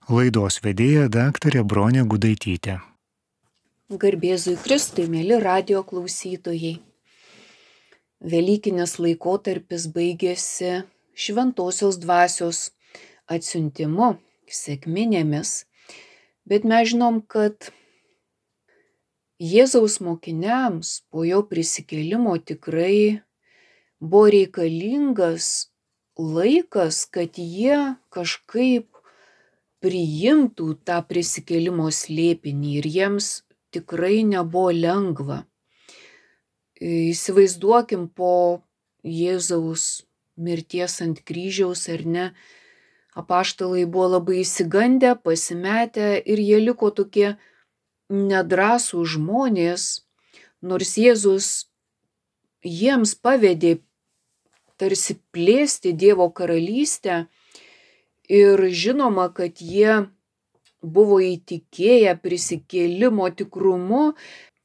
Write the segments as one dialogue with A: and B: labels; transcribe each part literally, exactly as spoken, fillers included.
A: Laidos vedėja daktarė Bronė Gudaitytė.
B: Garbėzui Kristui, mėly radijo klausytojai. Velykinis laikotarpis baigėsi šventosios dvasios atsiuntimu, sekminėmis, bet mes žinom, kad Jėzaus mokiniams po jo prisikėlimo tikrai buvo reikalingas laikas, kad jie kažkaip priimtų tą prisikėlimo slėpinį ir jiems tikrai nebuvo lengva. Įsivaizduokim po Jėzaus mirties ant kryžiaus, ar ne, apaštalai buvo labai išsigandę, pasimetę ir jie liko tokie nedrąsų žmonės, nors Jėzus jiems pavedė tarsi plėsti Dievo karalystę ir žinoma, kad jie buvo įtikėję prisikėlimo tikrumu,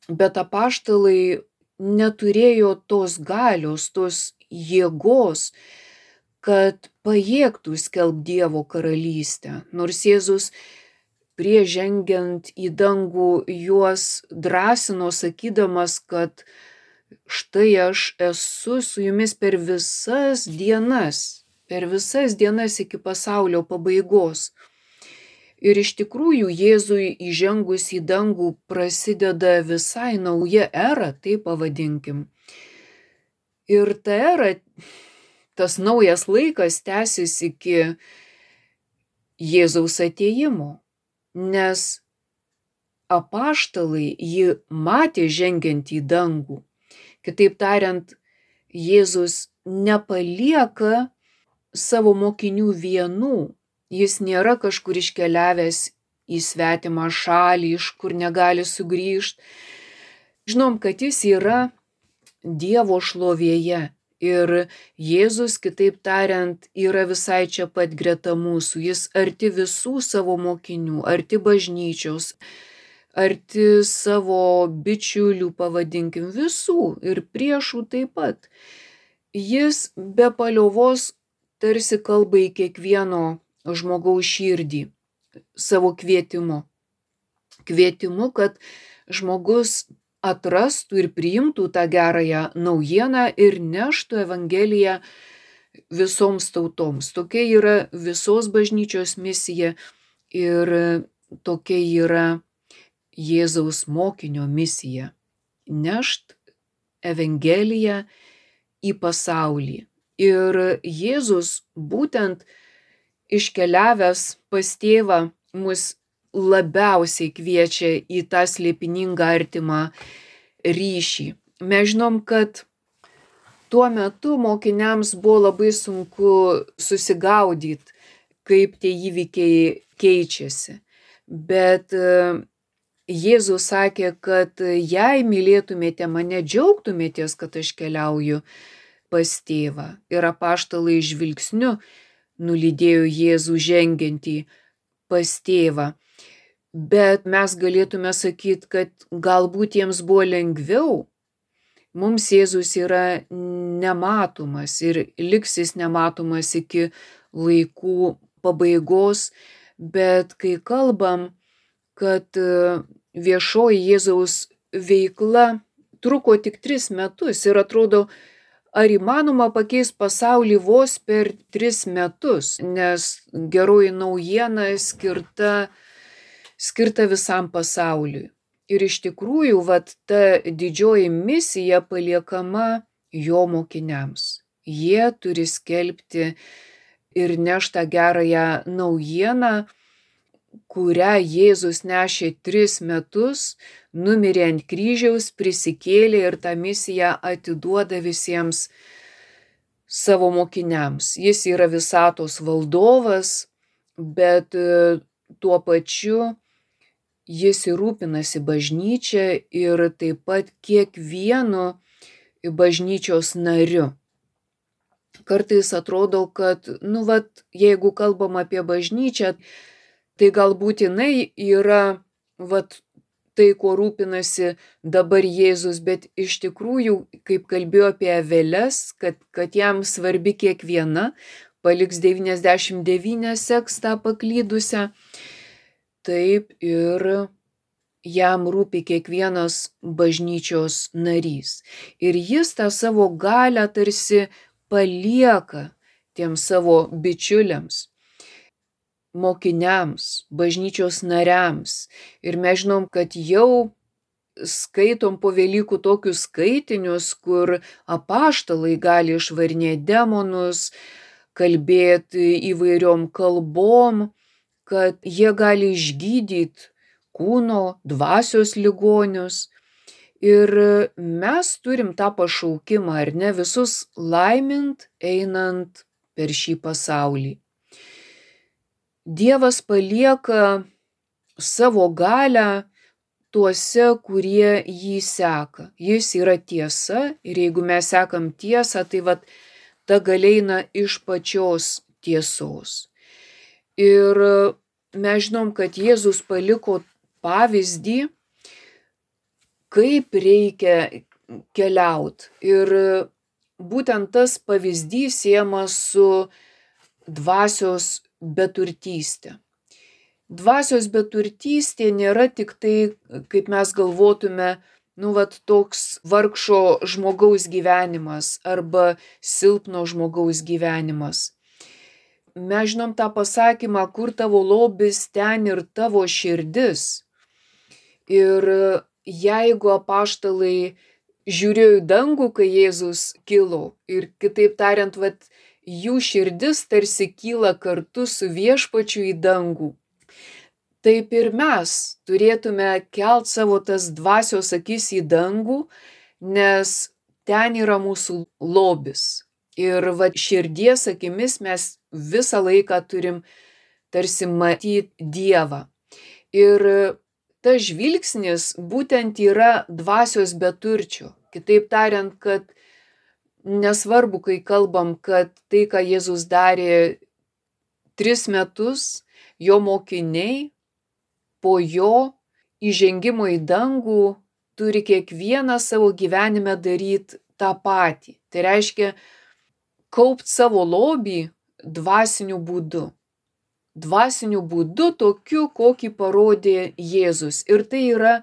B: bet apaštalai neturėjo tos galios, tos jėgos, kad pajėgtų skelbti Dievo karalystę. Nors Jėzus prieš žengiant į dangų juos drąsino, sakydamas, kad štai aš esu su jumis per visas dienas, per visas dienas iki pasaulio pabaigos. Ir iš tikrųjų Jėzui įžengus į dangų prasideda visai nauja era, taip pavadinkim. Ir ta era, tas naujas laikas tęsis iki Jėzaus atėjimo, nes apaštalai jį matė žengiant į dangų. Kitaip tariant, Jėzus nepalieka savo mokinių vienų. Jis nėra kažkur iškeliavęs į svetimą šalį, iš kur negali sugrįžti. Žinom, kad jis yra Dievo šlovėje. Ir Jėzus, kitaip tariant, yra visai čia pat greta mūsų. Jis arti visų savo mokinių, arti bažnyčios, arti savo bičiulių, pavadinkim, visų ir priešų taip pat. Jis be paliovos tarsi kalba į kiekvieno žmogaus širdį savo kvietimu. Kvietimu, kad žmogus atrastų ir priimtų tą gerąją naujieną ir neštų Evangeliją visoms tautoms. Tokia yra visos bažnyčios misija ir tokia yra Jėzaus mokinio misija – nešt Evangeliją į pasaulį. Ir Jėzus būtent iškeliavęs pas tėvą mus labiausiai kviečia į tą slėpiningą artimą ryšį. Mes žinom, kad tuo metu mokiniams buvo labai sunku susigaudyti, kaip tie įvykiai keičiasi. Bet Jėzus sakė, kad jei mylėtumėte mane, džiaugtumėtės, kad aš keliauju pas tėvą. Ir apaštalai žvilgsniu nulydėjo Jėzų žengiantį pas tėvą. Bet mes galėtume sakyti, kad galbūt jiems buvo lengviau. Mums Jėzus yra nematomas ir liks jis nematomas iki laikų pabaigos, bet kai kalbam, kad viešoji Jėzaus veikla truko tik tris metus ir atrodo, ar įmanoma pakeisti pasaulį vos per tris metus, nes geroji naujiena skirta skirta visam pasauliui. Ir iš tikrųjų, vat, ta didžioji misija paliekama jo mokiniams. Jie turi skelbti ir nešti tą gerąją naujieną, kurią Jėzus nešė tris metus, numirė ant kryžiaus, prisikėlė ir tą misiją atiduoda visiems savo mokiniams. Jis yra visatos valdovas, bet tuo pačiu jis ir rūpinasi bažnyčia ir taip pat kiekvienu bažnyčios nariu. Kartais atrodo, kad, nu, vat, jeigu kalbam apie bažnyčią, tai galbūt jinai yra, vat, tai, kuo rūpinasi dabar Jėzus, bet iš tikrųjų, kaip kalbėjo apie aveles, kad, kad jam svarbi kiekviena, paliks devyniasdešimt devynias, seks tą paklydusią. Taip ir jam rūpi kiekvienas bažnyčios narys. Ir jis tą savo galią tarsi palieka tiems savo bičiuliams, mokiniams, bažnyčios nariams. Ir mes žinom, kad jau skaitom po Velykų tokius skaitinius, kur apaštalai gali išvarinėti demonus, kalbėti įvairiom kalbom, kad jie gali išgydyti kūno, dvasios ligonius. Ir mes turim tą pašaukimą, ar ne, visus laimint, einant per šį pasaulį. Dievas palieka savo galią tuose, kurie jį seka. Jis yra tiesa ir jeigu mes sekam tiesą, tai vat ta galia eina iš pačios tiesos. Ir mes žinom, kad Jėzus paliko pavyzdį, kaip reikia keliauti. Ir būtent tas pavyzdys siejamas su dvasios beturtystė. Dvasios beturtystė nėra tik tai, kaip mes galvotume, nu, vat, toks vargšo žmogaus gyvenimas arba silpno žmogaus gyvenimas. Mes žinom tą pasakymą, kur tavo lobis, ten ir tavo širdis. Ir jeigu apaštalai žiūrėjo į dangų, kai Jėzus kilo, ir kitaip tariant, vat, jų širdis tarsi kyla kartu su viešpačiu į dangų, taip ir mes turėtume kelt savo tas dvasios akis į dangų, nes ten yra mūsų lobis. Ir va, širdies akimis mes visą laiką turim tarsi matyti Dievą. Ir tas žvilgsnis būtent yra dvasios beturčio. Kitaip tariant, kad nesvarbu, kai kalbam, kad tai, ką Jėzus darė tris metus, jo mokiniai po jo įžengimo į dangų turi kiekvieną savo gyvenime daryti tą patį. Tai reiškia kaupt savo lobį dvasiniu būdu. Dvasiniu būdu tokiu, kokį parodė Jėzus. Ir tai yra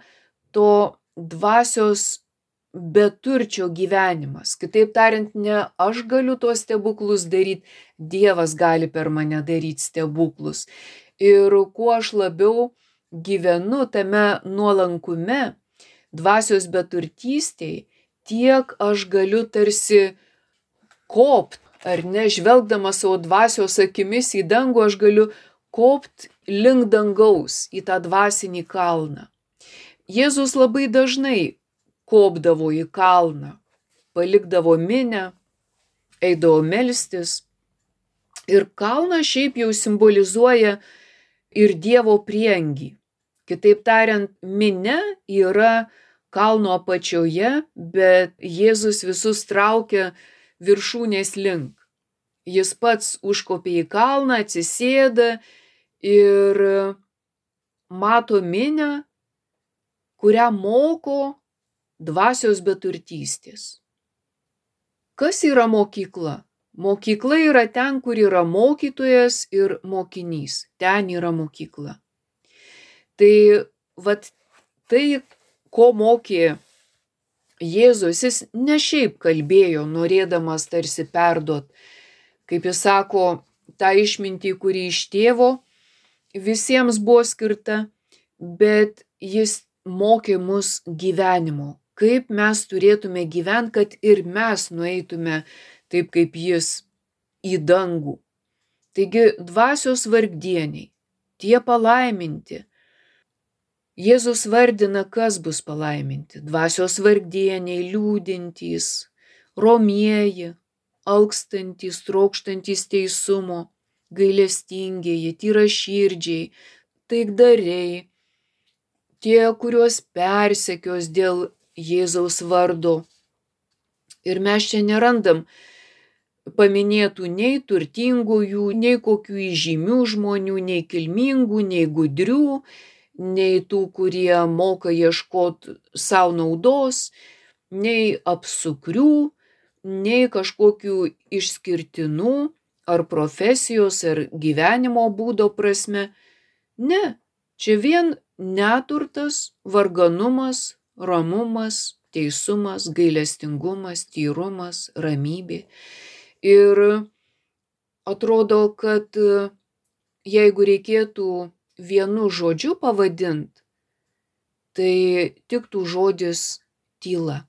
B: to dvasios beturčio gyvenimas. Kitaip tariant, ne aš galiu tuos stebuklus daryti, Dievas gali per mane daryti stebuklus. Ir kuo aš labiau gyvenu tame nuolankume, dvasios beturtystėj, tiek aš galiu tarsi kopt, ar ne, žvelgdamas savo dvasios akimis į dangų, aš galiu kopt link dangaus į tą dvasinį kalną. Jėzus labai dažnai kopdavo į kalną, palikdavo minę, eidavo melstis. Ir kalnas šiaip jau simbolizuoja ir Dievo prieangį. Kitaip tariant, minia yra kalno apačioje, bet Jėzus visus traukia viršūnės link. Jis pats užkopė į kalną, atsisėda ir mato minią, kurią moko dvasios beturtystės. Kas yra mokykla? Mokykla yra ten, kur yra mokytojas ir mokinys. Ten yra mokykla. Tai, vat, tai, ko mokė Jėzus, jis ne šiaip kalbėjo, norėdamas tarsi perduot, kaip jis sako, tą išmintį, kuri iš tėvo visiems buvo skirta, bet jis mokė mus gyvenimo, kaip mes turėtume gyventi, kad ir mes nueitume taip kaip jis į dangų. Taigi dvasios vargdieniai, tie palaiminti. Jėzus vardina, kas bus palaiminti. Dvasios vargdieniai, liūdintys, romieji, alkstantys, trokštantys teisumo, gailestingieji, tyraširdžiai, taikdariai, tie, kuriuos persekios dėl Jėzaus vardo. Ir mes čia nerandam paminėtų nei turtingųjų, nei kokių įžymių žmonių, nei kilmingų, nei gudrių, nei tų, kurie moka ieškoti savo naudos, nei apsukrių, nei kažkokių išskirtinų, ar profesijos, ar gyvenimo būdo prasme. Ne, čia vien neturtas, varganumas, ramumas, teisumas, gailestingumas, tyrumas, ramybė. Ir atrodo, kad jeigu reikėtų vienu žodžiu pavadinti, tai tiktų žodis tyla.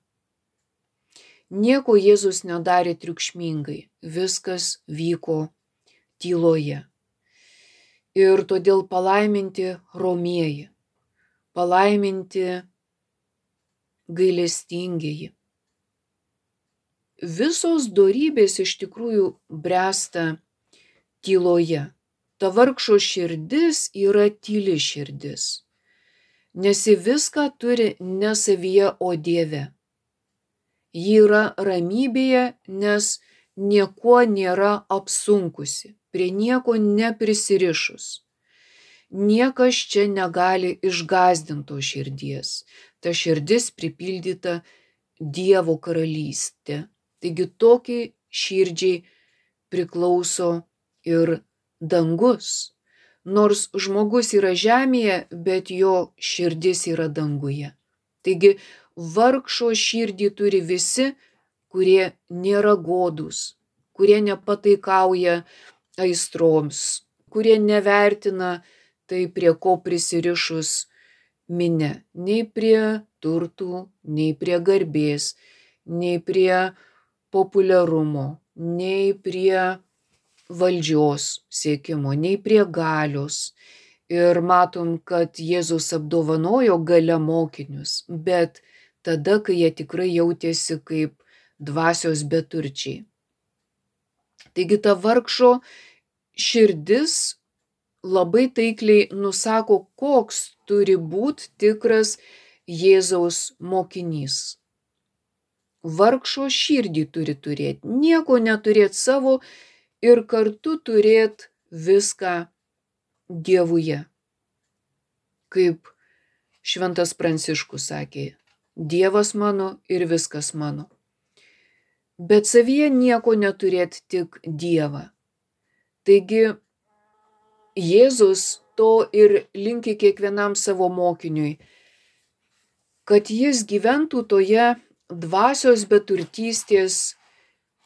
B: Nieko Jėzus nedarė triukšmingai, viskas vyko tyloje. Ir todėl palaiminti romieji, palaiminti gailestingieji. Visos dorybės iš tikrųjų bręsta tyloje. Ta vargšo širdis yra tyli širdis, nes ji viską turi ne savyje, o Dieve. Ji yra ramybėje, nes niekuo nėra apsunkusi, prie nieko neprisirišus. Niekas čia negali išgąsdinto širdies. Ta širdis pripildyta Dievo karalystė. Taigi tokiai širdžiai priklauso ir dangus. Nors žmogus yra žemėje, bet jo širdis yra danguje. Taigi vargšo širdį turi visi, kurie nėra godūs, kurie nepataikauja aistroms, kurie nevertina tai, prie ko prisirišus minia, nei prie turtų, nei prie garbės, nei prie populiarumo, nei prie valdžios siekimo, nei prie galios. Ir matom, kad Jėzus apdovanojo galia mokinius, bet tada, kai jie tikrai jautėsi kaip dvasios beturčiai. Taigi ta vargšo širdis labai taikliai nusako, koks turi būti tikras Jėzaus mokinys. Vargšo širdį turi turėti, nieko neturėti savo ir kartu turėti viską Dievuje. Kaip šventas Pranciškus sakė, Dievas mano ir viskas mano. Bet savyje nieko neturėti, tik Dievą. Taigi Jėzus to ir linki kiekvienam savo mokiniui, kad jis gyventų toje dvasios beturtystės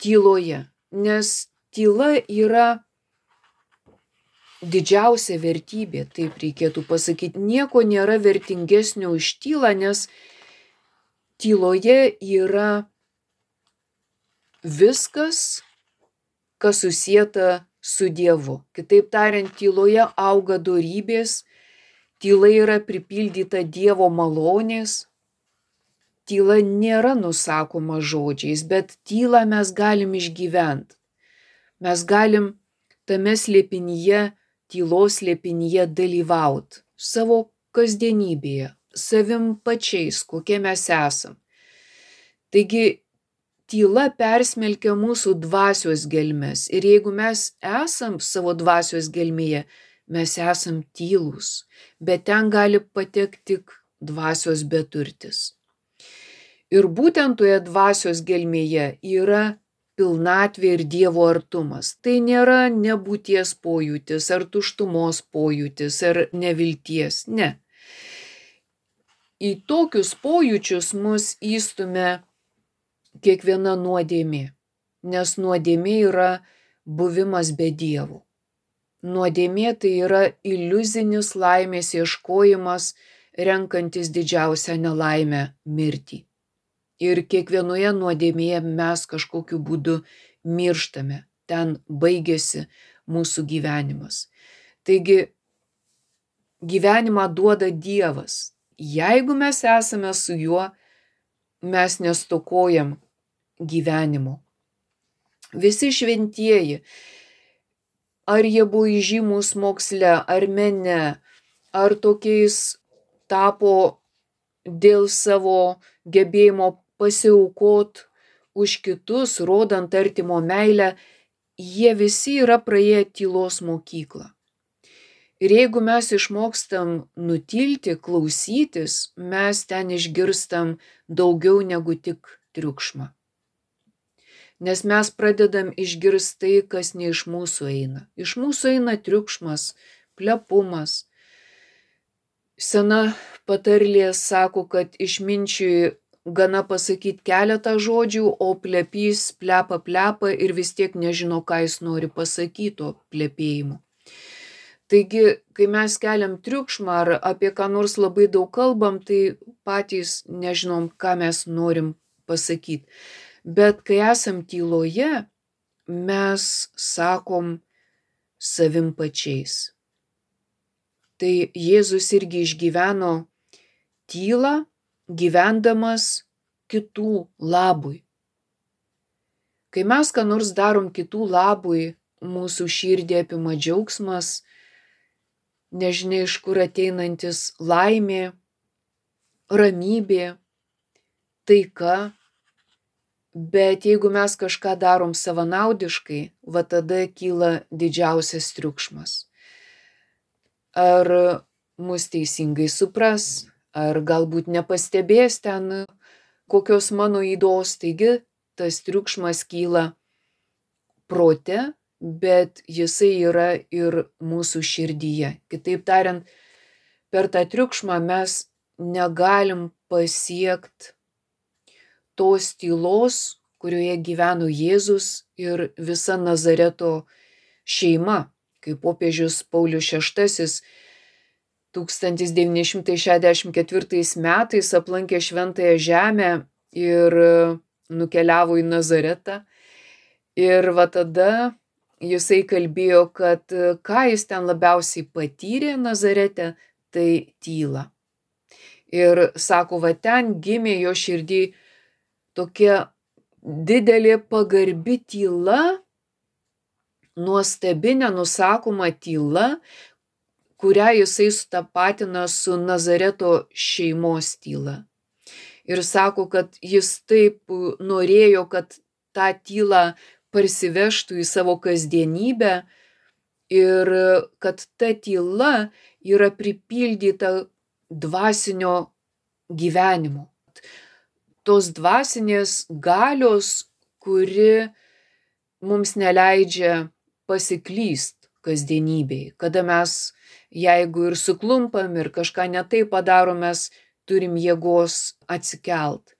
B: tyloje, nes tyla yra didžiausia vertybė, taip reikėtų pasakyti. Nieko nėra vertingesnio už tylą, nes tyloje yra viskas, kas susieta su Dievu. Kitaip tariant, tyloje auga dorybės, tyla yra pripildyta Dievo malonės. Tyla nėra nusakoma žodžiais, bet tylą mes galim išgyventi. Mes galim tame slėpinyje, tylos slėpinyje dalyvauti savo kasdienybėje, savim pačiais, kokie mes esam. Taigi tyla persmelkia mūsų dvasios gelmes ir jeigu mes esam savo dvasios gelmėje, mes esam tylūs, bet ten gali patekti tik dvasios beturtis. Ir būtent toje dvasios gelmėje yra pilnatvė ir Dievo artumas. Tai nėra nebūties pojūtis, ar tuštumos pojūtis, ar nevilties, ne. Į tokius pojūčius mus įstumia kiekviena nuodėmė, nes nuodėmė yra buvimas be Dievo. Nuodėmė tai yra iliuzinis laimės ieškojimas, renkantis didžiausią nelaimę – mirtį. Ir kiekvienoje nuodėmėje mes kažkokiu būdu mirštame, ten baigėsi mūsų gyvenimas. Taigi gyvenimą duoda Dievas. Jeigu mes esame su juo, mes nestokojam gyvenimo. Visi šventieji, ar jie buvo įžymūs moksle, ar mene, ar tokiais tapo dėl savo gebėjimo pasiaukot už kitus, rodant artimo meilę, jie visi yra praėję tylos mokyklą. Ir jeigu mes išmokstam nutilti, klausytis, mes ten išgirstam daugiau negu tik triukšmą. nes mes pradedam išgirsti tai, kas ne iš mūsų eina. Iš mūsų eina triukšmas, plepumas. Sena patarlė sako, kad išminčiui gana pasakyti keletą žodžių, o plepys plepa plepa ir vis tiek nežino, ką jis nori pasakyti to plepėjimu. Taigi, kai mes keliam triukšmą ar apie ką nors labai daug kalbam, tai patys nežinom, ką mes norim pasakyti. Bet kai esam tyloje, mes sakom savim pačiais. Tai Jėzus irgi išgyveno tylą, gyvendamas kitų labui. Kai mes ką nors darom kitų labui, mūsų širdį apima džiaugsmas, nežinia iš kur ateinantis laimė, ramybė, taika, bet jeigu mes kažką darom savanaudiškai, va tada kyla didžiausias triukšmas. Ar mus teisingai supras, ar galbūt nepastebės ten kokios mano ydos, taigi tas triukšmas kyla prote, bet jisai yra ir mūsų širdyje. Kitaip tariant, per tą triukšmą mes negalim pasiekti tos tylos, kurioje gyveno Jėzus ir visa Nazareto šeima. Kaip popiežius Paulius šeštasis tūkstantis devyni šimtai šešiasdešimt ketvirtais metais aplankė Šventąją Žemę ir nukeliavo į Nazaretą. Ir va tada jisai kalbėjo, kad ką jis ten labiausiai patyrė Nazarete, tai tylą. Ir sako, va ten gimė jo širdį tokia didelė pagarbi tyla, nuostabi, nenusakoma tyla, kurią jisai sutapatina su Nazareto šeimos tyla. Ir sako, kad jis taip norėjo, kad tą tylą parsivežtų į savo kasdienybę ir kad ta tyla yra pripildyta dvasinio gyvenimo. Tos dvasinės galios, kuri mums neleidžia pasiklyst kasdienybėj. Kada mes, jeigu ir suklumpam ir kažką ne taip padarom, mes turim jėgos atsikelt.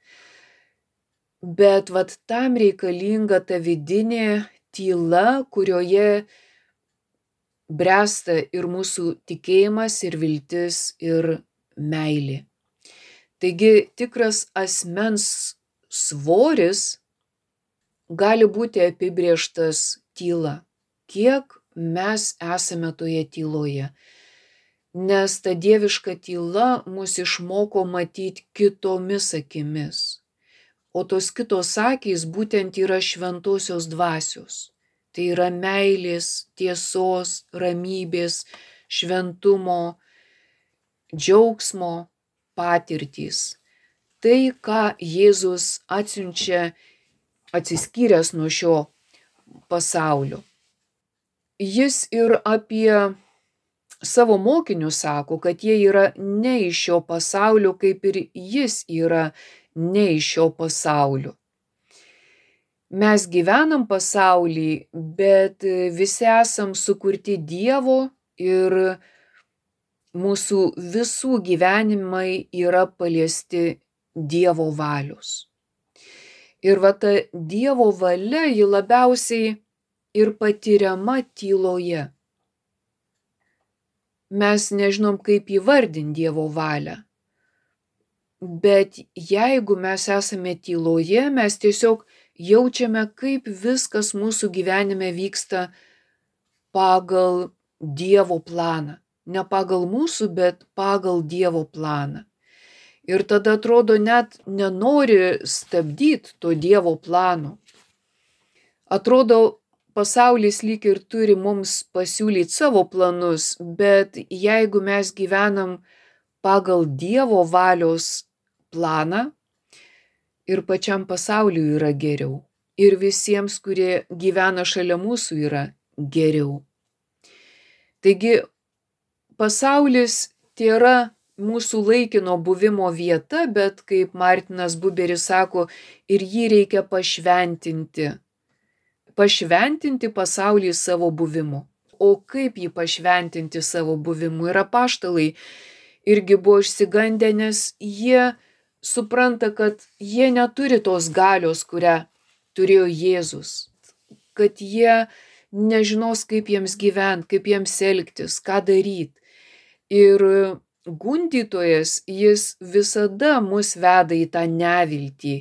B: Bet vat tam reikalinga ta vidinė tyla, kurioje bręsta ir mūsų tikėjimas, ir viltis, ir meilė. Taigi tikras asmens svoris gali būti apibrėžtas tyla. Kiek mes esame toje tyloje. Nes ta dieviška tyla mus išmoko matyti kitomis akimis. O tos kitos akys būtent yra šventosios dvasios. Tai yra meilės, tiesos, ramybės, šventumo, džiaugsmo patirtys. Tai, ką Jėzus atsiunčia atsiskyręs nuo šio pasaulio. Jis ir apie savo mokinius sako, kad jie yra ne iš šio pasaulio, kaip ir jis yra ne iš šio pasaulio. Mes gyvenam pasaulį, bet visi esam sukurti Dievo ir mūsų visų gyvenimai yra paliesti Dievo valios. Ir va ta Dievo valia, ji labiausiai ir patiriama tyloje. Mes nežinom, kaip įvardinti Dievo valią. Bet jeigu mes esame tyloje, mes tiesiog jaučiame, kaip viskas mūsų gyvenime vyksta pagal Dievo planą. Ne pagal mūsų, bet pagal Dievo planą. Ir tada atrodo net nenori stabdyti to Dievo plano. Atrodo, pasaulis lyg ir turi mums pasiūlyti savo planus, bet jeigu mes gyvenam pagal Dievo valios planą, ir pačiam pasauliui yra geriau. Ir visiems, kurie gyvena šalia mūsų, yra geriau. Taigi, pasaulis tai yra mūsų laikino buvimo vieta, bet kaip Martinas Buberis sako, ir jį reikia pašventinti pašventinti pasaulį savo buvimu. O kaip jį pašventinti savo buvimu? Ir apaštalai irgi buvo išsigandę, nes jie supranta, kad jie neturi tos galios, kurią turėjo Jėzus. Kad jie nežinos, kaip jiems gyventi, kaip jiems elgtis, ką daryti. Ir gundytojas, jis visada mus veda į tą neviltį.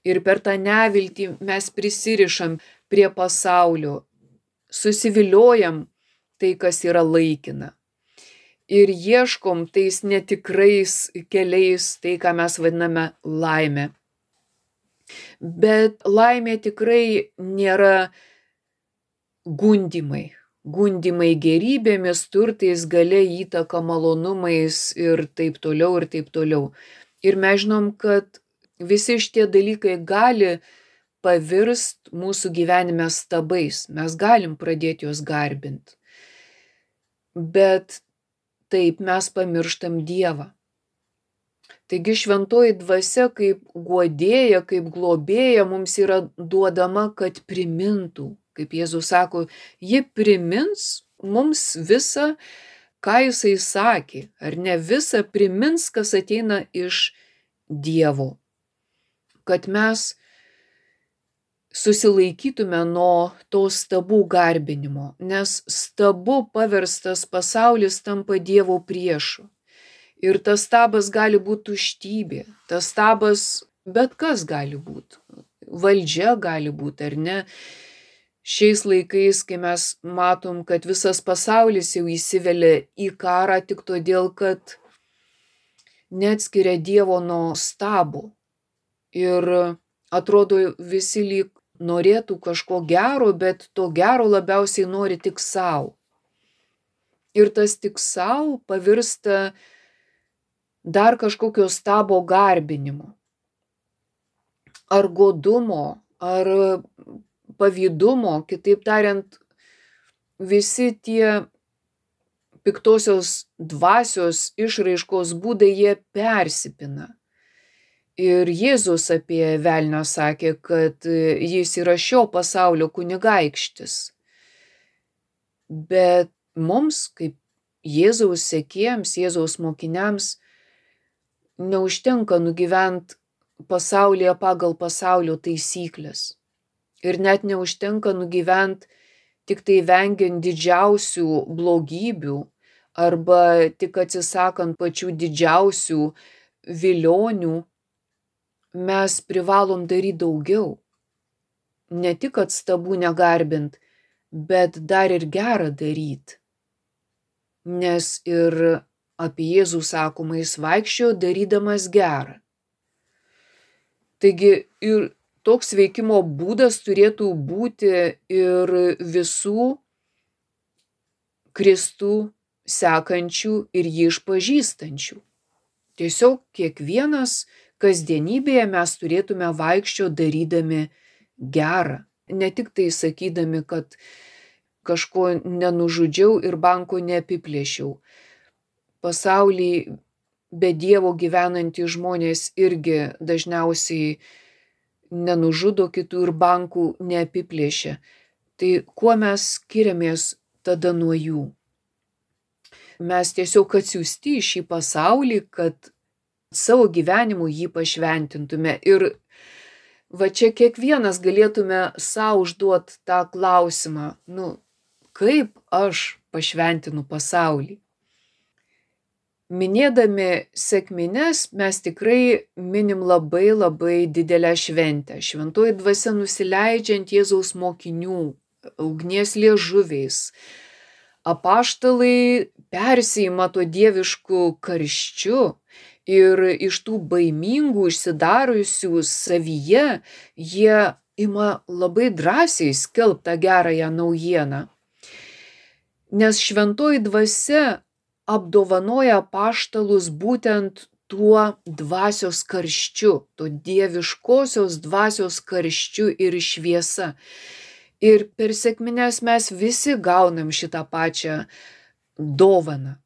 B: Ir per tą neviltį mes prisirišam prie pasaulio, susiviliojam tai, kas yra laikina. Ir ieškom tais netikrais keliais tai, ką mes vadiname laimė. Bet laimė tikrai nėra gundymai. Gundymai gerybėmis, turtais, galia, įtaka, malonumais ir taip toliau ir taip toliau. Ir mes žinom, kad visi šitie dalykai gali pavirst mūsų gyvenime stabais. Mes galim pradėti juos garbinti. Bet taip mes pamirštam Dievą. Taigi šventoji dvasia kaip guodėja, kaip globėja mums yra duodama, kad primintų. Kaip Jėzus sako, ji primins mums visą, ką jisai sakė, ar ne, visą primins, kas ateina iš Dievo. Kad mes susilaikytume nuo to stabų garbinimo, nes stabu paverstas pasaulis tampa Dievo priešu. Ir tas stabas gali būti tuštybė, tas stabas bet kas gali būti, valdžia gali būti, ar ne. Šiais laikais, kai mes matom, kad visas pasaulis jau įsivelia į karą tik todėl, kad neatskiria Dievo nuo stabo. Ir atrodo, visi lyg norėtų kažko gero, bet to gero labiausiai nori tik savo. Ir tas tik savo pavirsta dar kažkokio stabo garbinimo. Ar godumo, ar pavydumo, kitaip tariant, visi tie piktosios dvasios išraiškos būdai, jie persipina. Ir Jėzus apie velnią sakė, kad jis yra šio pasaulio kunigaikštis. Bet mums, kaip Jėzaus sekėjams, Jėzaus mokiniams, neužtenka nugyvent pasaulyje pagal pasaulio taisyklės. Ir net neužtenka nugyvent tik tai vengiant didžiausių blogybių arba tik atsisakant pačių didžiausių vilionių. Mes privalom daryti daugiau. Ne tik kad stabų negarbint, bet dar ir gerą daryti. Nes ir apie Jėzų sakoma, jis vaikščiojo darydamas gerą. Taigi ir toks veikimo būdas turėtų būti ir visų Kristų sekančių ir jį išpažįstančių. Tiesiog kiekvienas kasdienybėje mes turėtume vaikščio darydami gerą. Ne tik tai sakydami, kad kažko nenužudžiau ir banko neapiplėšiau. Pasaulį be Dievo gyvenantys žmonės irgi dažniausiai nenužudo kitų ir bankų neapiplėšia. Tai kuo mes skiriamės tada nuo jų? Mes tiesiog atsiųsti į šį pasaulį, kad savo gyvenimu jį pašventintume. Ir va čia kiekvienas galėtume savo užduoti tą klausimą, nu, kaip aš pašventinu pasaulį? Minėdami sekmines mes tikrai minim labai labai didelę šventę. Šventoji dvasia nusileidžiant Jėzaus mokinių, ugnies liežuviais. Apaštalai persiima to dievišku karščiu ir iš tų baimingų, išsidarusių savyje, jie ima labai drąsiai skelbti tą gerąją naujieną. Nes šventoji dvasia apdovanoja apaštalus būtent tuo dvasios karščiu, to dieviškosios dvasios karščiu ir šviesa. Ir per sekmines mes visi gaunam šitą pačią dovaną.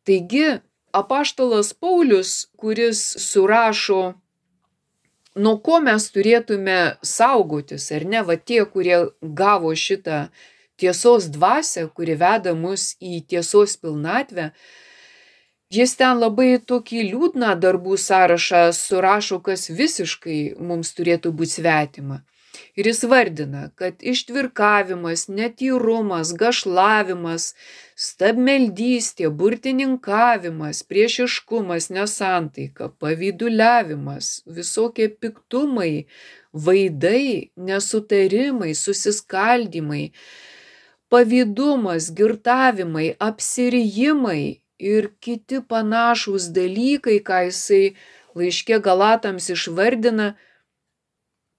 B: Taigi, apaštalas Paulius, kuris surašo nuo ko mes turėtume saugotis, ar ne? Va tie, kurie gavo šitą tiesos dvasią, kuri veda mus į tiesos pilnatvę, jis ten labai tokį liūdną darbų sąrašą surašo, kas visiškai mums turėtų būti svetima. Ir jis vardina, kad ištvirkavimas, netyrumas, gašlavimas, stabmeldystė, burtininkavimas, priešiškumas, nesantaika, pavyduliavimas, visokie piktumai, vaidai, nesutarimai, susiskaldymai, pavydumas, girtavimai, apsirijimai ir kiti panašūs dalykai, ką jisai laiške Galatams išvardina.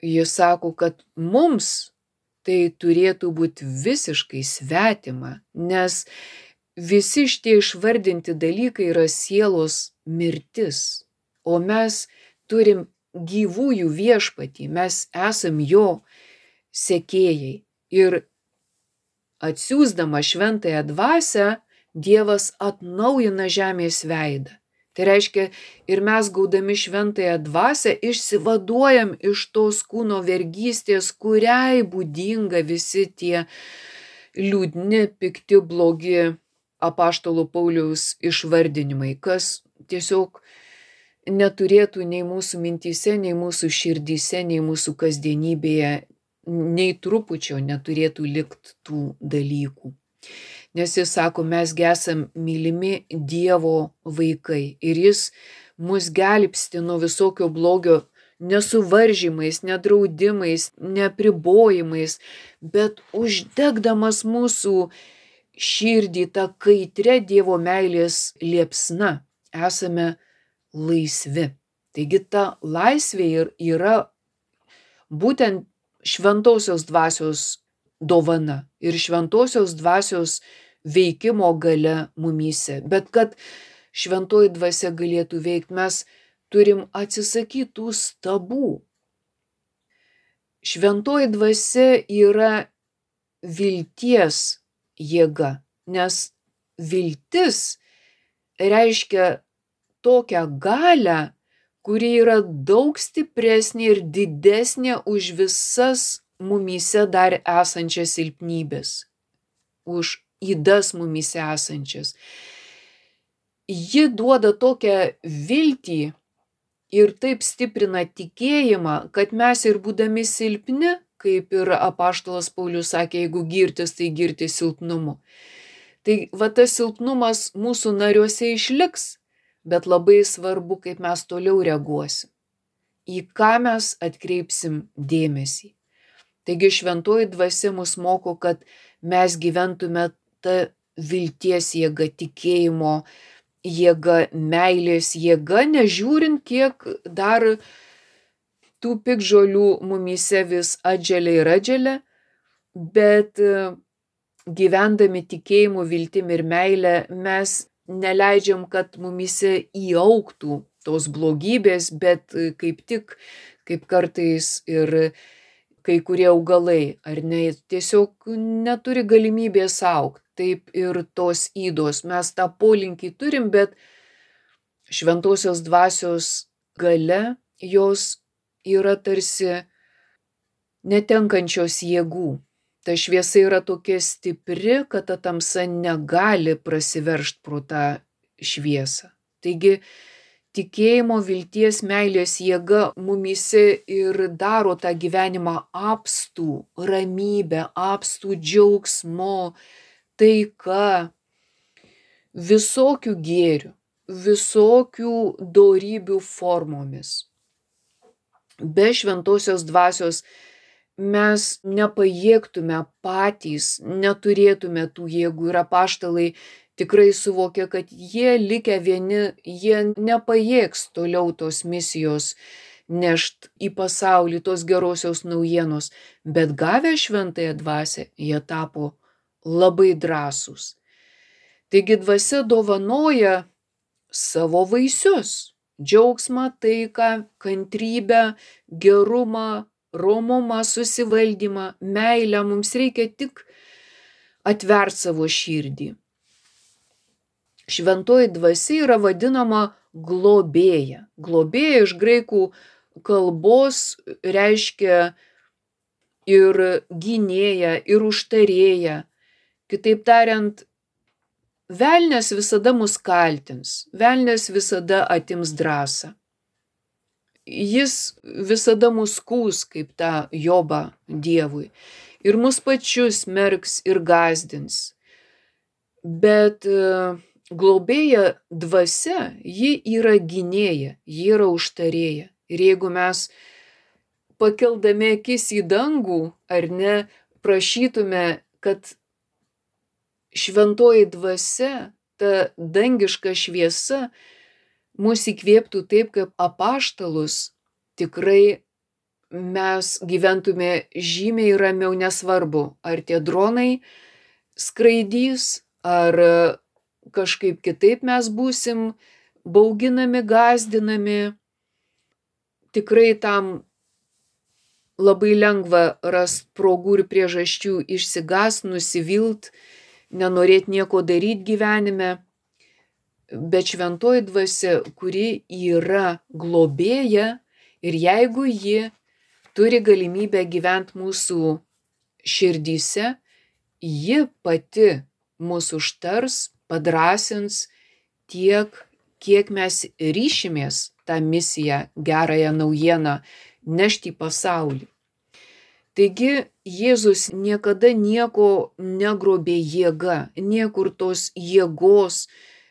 B: Jis sako, kad mums tai turėtų būti visiškai svetima, nes visi šitie išvardinti dalykai yra sielos mirtis, o mes turim gyvųjų viešpatį, mes esam jo sekėjai. Ir atsiųsdama šventąją dvasią, Dievas atnaujina žemės veidą. Tai reiškia, ir mes gaudami šventąją dvasią išsivaduojam iš tos kūno vergystės, kuriai būdinga visi tie liūdni, pikti, blogi apaštalo Pauliaus išvardinimai, kas tiesiog neturėtų nei mūsų mintyse, nei mūsų širdyse, nei mūsų kasdienybėje, nei trupučio neturėtų likti tų dalykų. Nes jis sako, mes esam mylimi Dievo vaikai ir jis mus gelbsti nuo visokio blogio nesuvaržymais, nedraudimais, nepribojimais, bet uždegdamas mūsų širdį tą kaitrę Dievo meilės liepsna, esame laisvi. Taigi ta laisvė yra būtent šventosios dvasios dovana ir šventosios dvasios veikimo galia mumyse. Bet kad šventoji dvasia galėtų veikti, mes turim atsisakyti tų stabų. Šventoji dvasia yra vilties jėga, nes viltis reiškia tokią galią, kuri yra daug stipresnė ir didesnė už visas mumyse dar esančias silpnybės, už ydas mumyse esančias. Ji duoda tokią viltį ir taip stiprina tikėjimą, kad mes ir būdami silpni, kaip ir apaštalas Paulius sakė, jeigu girtis, tai girtis silpnumu. Tai va tas silpnumas mūsų nariuose išliks, bet labai svarbu, kaip mes toliau reaguosim, į ką mes atkreipsim dėmesį. Taigi šventoji dvasia mus moko, kad mes gyventume tą vilties jėgą, tikėjimo jėgą, meilės jėgą, nežiūrint, kiek dar tų piktžolių mumyse vis atželia ir atželia, bet gyvendami tikėjimu, viltim ir meilę mes neleidžiam, kad mumyse įaugtų tos blogybės, bet kaip tik, kaip kartais ir kai kurie augalai, ar ne, tiesiog neturi galimybės augti. Taip ir tos ydos. Mes tą polinkį turim, bet šventosios dvasios galia, jos yra tarsi netenkančios jėgų. Ta šviesa yra tokia stipri, kad ta tamsa negali prasiveržti pro tą šviesą. Taigi, tikėjimo, vilties, meilės jėga mumyse ir daro tą gyvenimą apstų ramybę, apstų džiaugsmo, taika, visokių gėrių, visokių dorybių formomis. Be šventosios dvasios mes nepajėgtume patys, neturėtume tų jėgų ir apaštalai tikrai suvokia, kad jie likę vieni, jie nepajėgs toliau tos misijos nešt į pasaulį, tos gerosios naujienos, bet gavę šventąją dvasią, jie tapo labai drąsūs. Taigi dvasia dovanoja savo vaisius – džiaugsmą, taiką, kantrybę, gerumą, romumą, susivaldymą, meilę. Mums reikia tik atverti savo širdį. Šventoji dvasia yra vadinama globėja. Globėja iš graikų kalbos reiškia ir gynėją, ir užtarėją. Kitaip tariant, velnias visada mus kaltins, velnias visada atims drąsą. Jis visada mus skųs kaip tą Jobą Dievui. Ir mus pačius merks ir gąsdins. Bet globėja dvasia, ji yra gynėja, ji yra užtarėja. Ir jeigu mes pakeldami akis į dangų, ar ne, prašytume, kad šventoji dvasia, ta dangiška šviesa, mus įkvėptų taip, kaip apaštalus, tikrai mes gyventume žymiai ramiau, nesvarbu, ar tie dronai skraidys, ar kažkaip kitaip mes būsim bauginami, gąsdinami. Tikrai tam labai lengva rast progų ir priežasčių išsigąst, nusivilt, nenorėt nieko daryt gyvenime. Bet šventoji dvasia, kuri yra globėja, ir jeigu ji turi galimybę gyventi mūsų širdyse, ji pati mūsų užtars, padrąsins tiek, kiek mes ryšimės tą misiją, gerąją naujieną nešti į pasaulį. Taigi Jėzus niekada nieko negrobė jėga, niekur tos jėgos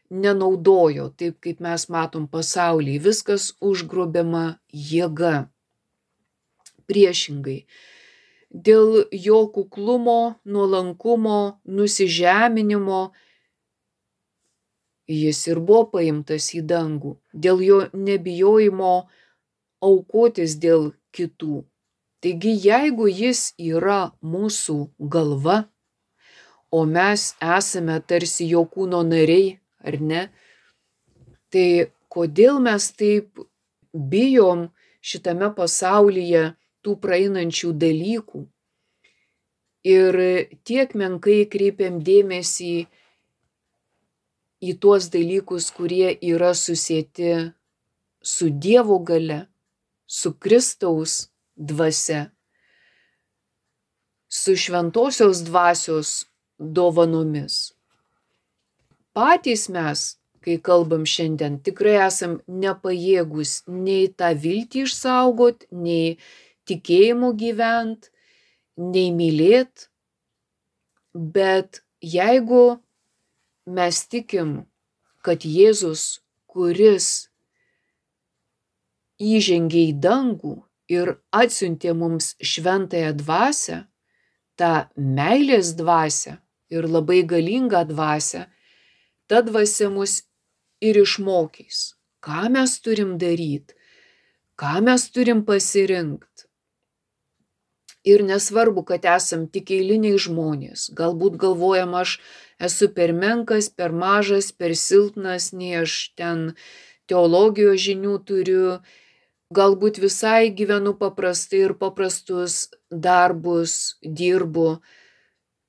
B: nenaudojo, taip kaip mes matom pasaulyje, viskas užgrobiama jėga. Priešingai, dėl jo kuklumo, nuolankumo, nusižeminimo jis ir buvo paimtas į dangų, dėl jo nebijojimo aukotis dėl kitų. Taigi, jeigu jis yra mūsų galva, o mes esame tarsi jo kūno nariai, ar ne, tai kodėl mes taip bijom šitame pasaulyje tų praeinančių dalykų ir tiek menkai kreipiam dėmesį į tuos dalykus, kurie yra susieti su Dievo galia, su Kristaus dvasia, su šventosios dvasios dovanomis. Patys mes, kai kalbam šiandien, tikrai esam nepajėgus nei tą viltį išsaugot, nei tikėjimu gyvent, nei mylėt. Bet jeigu mes tikim, kad Jėzus, kuris įžengė į dangų ir atsiuntė mums šventąją dvasią, tą meilės dvasią ir labai galingą dvasią, ta dvasia mus ir išmokys, ką mes turim daryt, ką mes turim pasirinkt. Ir nesvarbu, kad esam tik eiliniai žmonės, galbūt galvojam, aš esu per menkas, per mažas, per silpnas, nei aš ten teologijos žinių turiu, galbūt visai gyvenu paprastai ir paprastus darbus dirbu,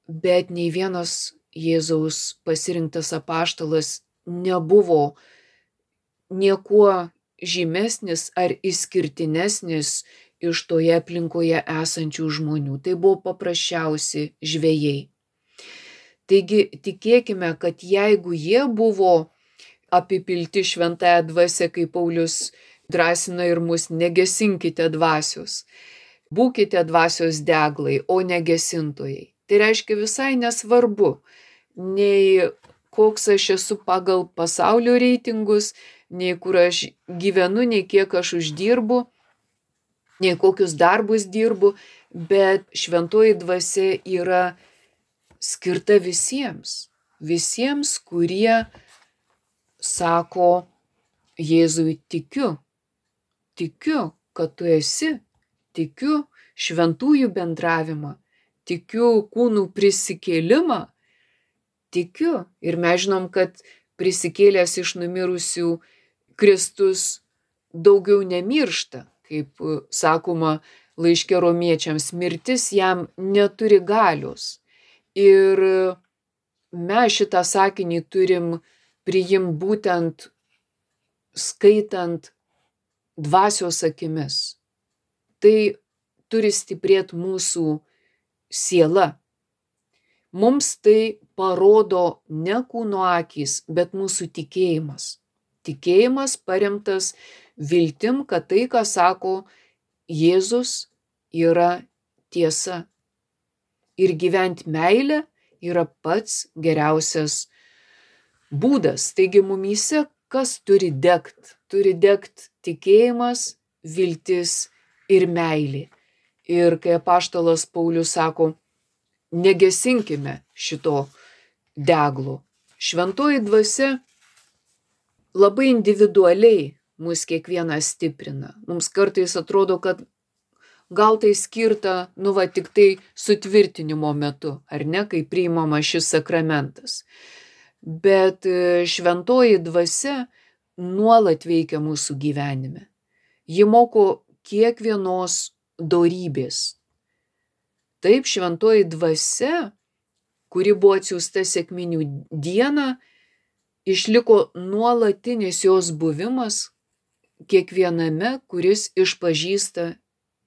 B: bet nei vienas Jėzaus pasirinktas apaštalas nebuvo niekuo žymesnis ar išskirtinesnis iš toje aplinkoje esančių žmonių. Tai buvo paprasčiausi žvejai. Taigi tikėkime, kad jeigu jie buvo apipilti šventąją dvasią, kaip Paulius drąsina ir mus, negesinkite dvasios, būkite dvasios deglai, o negesintojai. Tai reiškia visai nesvarbu, nei koks aš esu pagal pasaulio reitingus, nei kur aš gyvenu, nei kiek aš uždirbu, nei kokius darbus dirbu, bet šventoji dvasia yra skirta visiems, visiems, kurie sako Jėzui tikiu, tikiu, kad tu esi, tikiu šventųjų bendravimą, tikiu kūnų prisikėlimą, tikiu. Ir mes žinom, kad prisikėlęs iš numirusių Kristus daugiau nemiršta, kaip sakoma laiške romiečiams, mirtis jam neturi galios. Ir mes šitą sakinį turim priimti būtent skaitant dvasios akimis. Tai turi stiprėti mūsų siela. Mums tai parodo ne kūno akys, bet mūsų tikėjimas. Tikėjimas paremtas viltim, kad tai, ką sako Jėzus, yra tiesa. Ir gyventi meilę yra pats geriausias būdas. Taigi mumyse kas turi degt? Turi degt tikėjimas, viltis ir meilė. Ir kai apaštalas Paulius sako, negesinkime šito deglo. Šventoji dvasia labai individualiai mus kiekvieną stiprina. Mums kartais atrodo, kad gal tai skirta, nu va, tik tai sutvirtinimo metu, ar ne, kai priimama šis sakramentas. Bet šventoji dvasia nuolat veikia mūsų gyvenime. Ji moko kiekvienos dorybės. Taip, šventoji dvasia, kuri buvo atsiųsta sekminių dieną, išliko nuolatinis jos buvimas kiekviename, kuris išpažįsta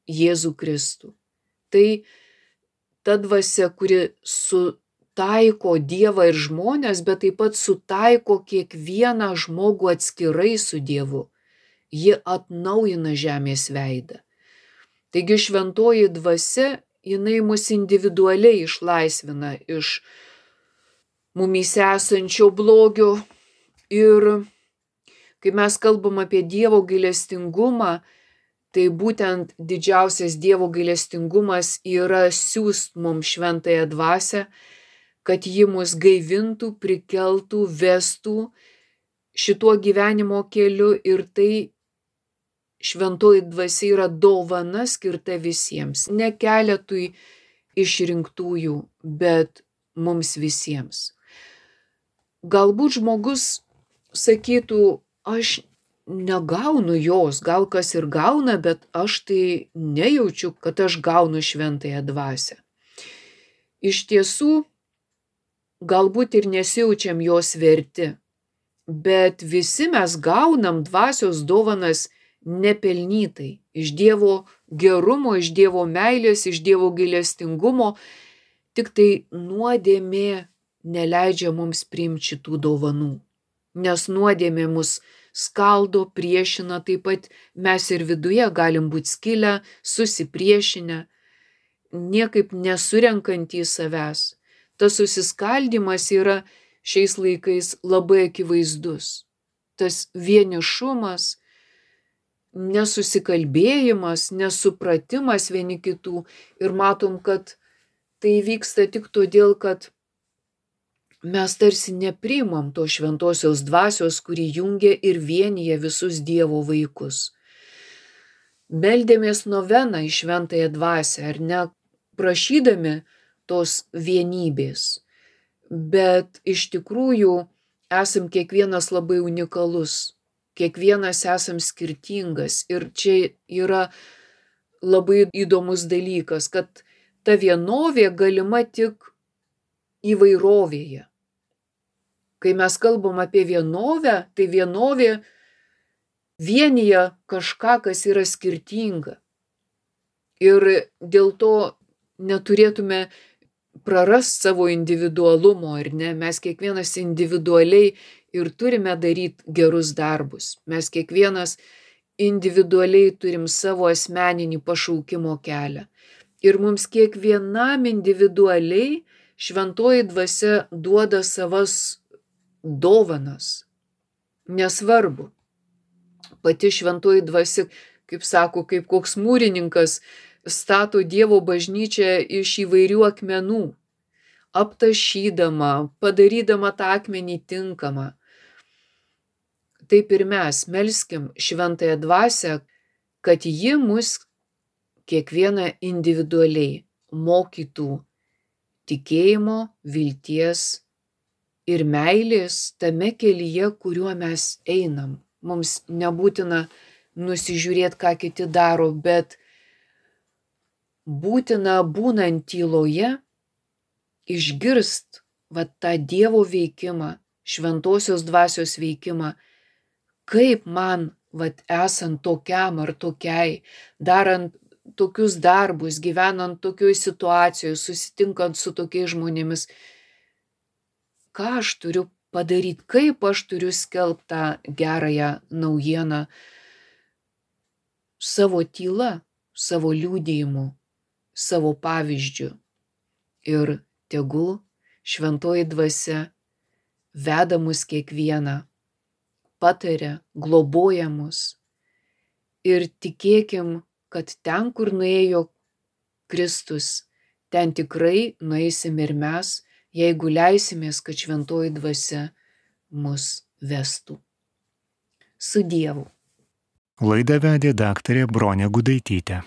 B: Jėzų Kristų. Tai ta dvasia, kuri sutaiko Dievą ir žmones, bet taip pat sutaiko kiekvieną žmogų atskirai su Dievu. Ji atnaujina žemės veidą. Taigi šventoji dvasia, jinai mus individualiai išlaisvina iš mumyse esančio blogio. Ir kai mes kalbam apie Dievo gailestingumą, tai būtent didžiausias Dievo gailestingumas yra siųst mums šventąją dvasią, kad ji mus gaivintų, prikeltų, vestų šituo gyvenimo keliu. Ir tai šventoji dvasia yra dovana skirta visiems, ne keletui išrinktųjų, bet mums visiems. Galbūt žmogus sakytų, aš negaunu jos, gal kas ir gauna, bet aš tai nejaučiu, kad aš gaunu šventąją dvasią. Iš tiesų, galbūt ir nesijaučiam jos verti, bet visi mes gaunam dvasios dovanas nepelnytai, iš Dievo gerumo, iš Dievo meilės, iš Dievo gailestingumo, tik tai nuodėmė neleidžia mums priimti šitų dovanų, nes nuodėmė mus skaldo, priešina, taip pat mes ir viduje galim būti skilę, susipriešinę, niekaip nesurenkant į savęs. Tas susiskaldimas yra šiais laikais labai akivaizdus. Tas vienišumas, nesusikalbėjimas, nesupratimas vieni kitų. Ir matom, kad tai vyksta tik todėl, kad mes tarsi nepriimam to šventosios dvasios, kuri jungia ir vienyje visus Dievo vaikus. Meldėmės noveną į šventąją dvasią, ar ne, prašydami tos vienybės. Bet iš tikrųjų esam kiekvienas labai unikalus, kiekvienas esam skirtingas. Ir čia yra labai įdomus dalykas, kad ta vienovė galima tik įvairovėje. Kai mes kalbam apie vienovę, tai vienovė vienyje kažką, kas yra skirtinga. Ir dėl to neturėtume prarast savo individualumo, ar ne? Mes kiekvienas individualiai ir turime daryti gerus darbus. Mes kiekvienas individualiai turim savo asmeninį pašaukimo kelią. Ir mums kiekvienam individualiai šventoji dvasia duoda savas dovanas. Nesvarbu. Pati šventoji dvasia, kaip sako, kaip koks mūrininkas, stato Dievo bažnyčią iš įvairių akmenų, aptašydama, padarydama tą akmenį tinkamą. Taip ir mes melskim šventąją dvasią, kad ji mus kiekvieną individualiai mokytų tikėjimo, vilties ir meilės tame kelyje, kuriuo mes einam. Mums nebūtina nusižiūrėti, ką kiti daro, bet būtina būnant tyloje išgirst va tą Dievo veikimą, šventosios dvasios veikimą, kaip man vat esant tokiam ar tokiai, darant tokius darbus, gyvenant tokioj situacijoje, susitinkant su tokiais žmonėmis, ką aš turiu padaryti, kaip aš turiu skelbti tą gerąją naujieną savo tyla, savo liudijimu, savo pavyzdžiu. Ir tegul šventoji dvasia veda mus kiekvieną, pataria, globoja mus. Ir tikėkim, kad ten, kur nuėjo Kristus, ten tikrai nueisim ir mes, jeigu leisimės, kad šventoji dvasia mus vestų. Su Dievu.
A: Laidą vedė daktarė Bronė Gudaitytė.